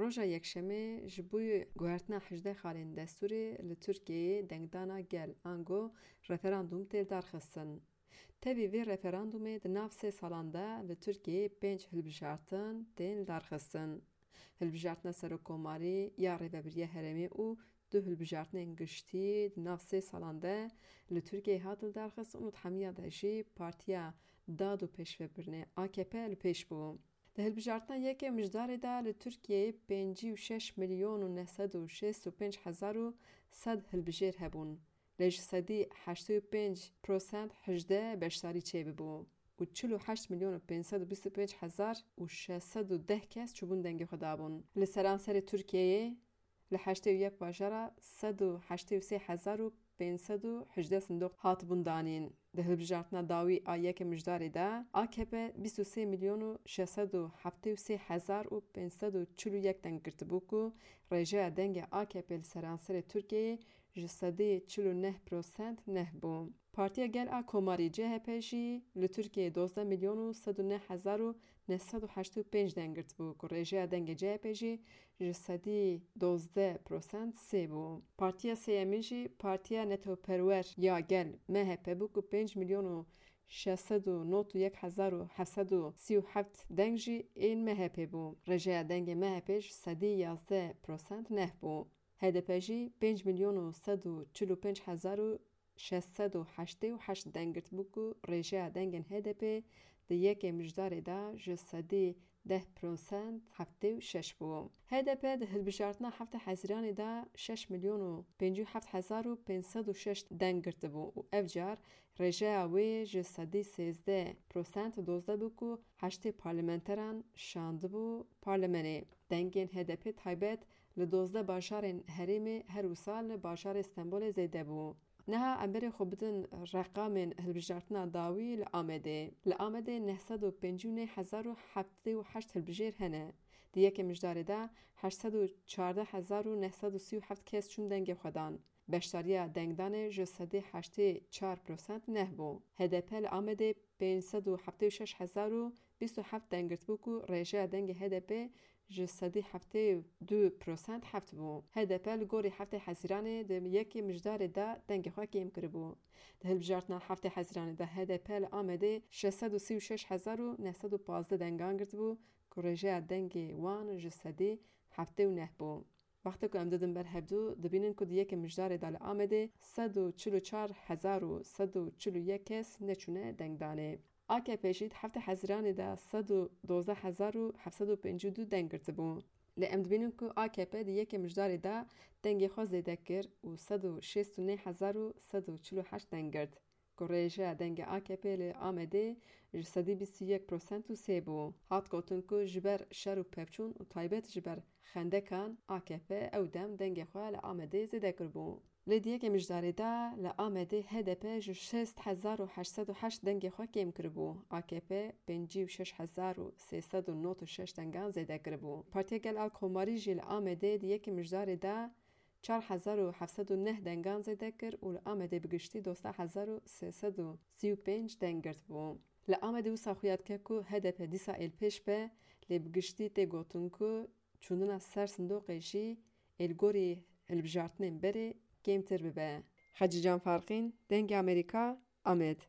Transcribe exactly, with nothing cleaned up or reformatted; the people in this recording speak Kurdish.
Roja Yekşemê ji bo guhertina hejdeh xalên destûrê li Tirkiyeyê dengdana gel, ango referandûm tê lidarxistin. Tevî vê referandûmê di nav sê salan de li Tirkiyeyê pênc hilbijartin tên lidarxistin. Hilbijartina Serokkomarî ya Rêvebiriya Herêmê û du hilbijartinên giştî di nav sê salan de li Tirkiyeyê hat lidarxistin û di hemiya de jî Partiya Dad û Pêşvebirinê, A K P, li pêş bû. Di hilbijartina yekê Mijdarê de li Tirkiyeyê pêncî û şeş milyon û neh sed û şêst û pênc hezar û sed hilbijêr hebûn. Lê ji sedî heştê û pênc prosent hejdeh beşdarî çêbibû û çil û heşt milyon û pênc sed û bîst û pênc hezar û şeş sed û deh kes çûbûn dengê xwe dabûn. Li seranserê Tirkiyeyê li heştê û yek bajara sed û heştê û sê hezar û pênc sed û hejdeh sindoq hatibûn danîn. Di hilbijartina dawî a yekê Mijdarê de A K P bîst û sê milyon û şeş sed û heftê û sê hezar û pênc sed û çil û yek deng girtibû ku rêjeya dengê A K P li seranserê Tirkiyeyê ji sedî çil û neh prosent neh bû. Partiya Gel a Komarî, C H P, jî li Tirkiyeyê dozdeh milyon û sed û neh hezar û neh sed û heştê û pênc deng girtibû ku rêjeya dengê C H P jî ji sedî dozdeh prosent sê bû. Partiya sêyemîn jî Partiya Netewperwer ya Gel, M H P, bû ku pênc milyon û şeş sed û nod û yek hezar û heft sed û sî û heft deng jî ên M H P bû. Rêjeya dengê M H P ji sedî yazdeh prosent neh bû. H D P jî pênc milyon û sed û çil û pênc hezar û şeş sed û heştê û heşt deng girtibû ku rêjeya dengên H D P di yekê Mijdarê de ji sedî deh prosent heftê û şeş bû. H D P di hilbijartina heftê Hezîranê de şeş milyon û pêncî û heft hezar û pênc sed û şeş deng girtibû û ev car rêjeya wê ji sedî sêzdeh prosent dozdeh bû ku heştê parlamenteran şandibû parlemenê. Dengên H D P taybet li dozdeh bajarên herêmê her wisa li bajarê Stenbolê zêde bû. Niha em berê xwe bidin reqamên hilbijartina dawî li Amedê. Li Amedê neh sed û pêncî û neh hezar û heftê û heşt hilbijêr hene. Di yekê Mijdarê de heşt sed û çardeh hezar û neh sed û sî û heft kes çûn dengê xwe dan. Beşdariya dengdanê ji sedî heştê çar prosent neh bû. H D P li Amedê pênc sed û heftê û şeş hezar û bîst û heft deng girtibû ku rêjeya dengê H D P ji sedî heftê û du prosent heft bû. H D P li gorî heftê Hezîranê di yekê Mijdarê de dengê xwe kêm kiribû. Di hilbijartina heftê Hezîranê de H D P li Amedê şeş sed û sî û şeş hezar û neh sed û pazdeh dengan girtibû ku rêjeya dengê wan ji sedî heftê û neh bû. Wextê ku em didin ber hevdû, dibînin ku di yekê Mijdarê de li Amedê sed û çil û çar hezar û sed û çil û yek kes neçûne dengdanê. A K P jî di heftê Hezîranê de sed û dozdeh hezar û heft sed û pêncî û du deng girtibû. Lê em dibînin ku A K P di yekê Mijdarê de dengê xwe zêde kir û sed û şêst û neh hezar û sed û çil û heşt deng girt. Ku rêjeya dengê A K P li Amedê ji sedî bîst û yek prosent û sê bû. Hat gotin ku ji ber şer û pevçûn û taybet ji ber xendekan A K P ew dem dengê xwe li Amedê zêde kiribû. Lê di yekê Mijdarê de li Amedê H D P ji şêst hezar û heşt sed û heşt dengê xwe kêm kiribû, A K P pêncî û şeş hezar û sê sed û nod û şeş dengan zêde kiribû. Partiya Gel a Komarî jî li Amedê di yekê Mijdarê de çar hezar û heft sed û neh dengan zêde kir û li Amedê bi giştî dozdeh hezar û sê sed û sî û pênc deng girtibû. Li Amedê wisa xuya dike ku H D P dîsa êlpêş be, lê bi giştî tê gotin ku çûnina ser sindoqê jî ê li gorî hilbijartinên berê kêmtir bibe. Hecî Can Farqîn, Dengê Amerîka, Amed.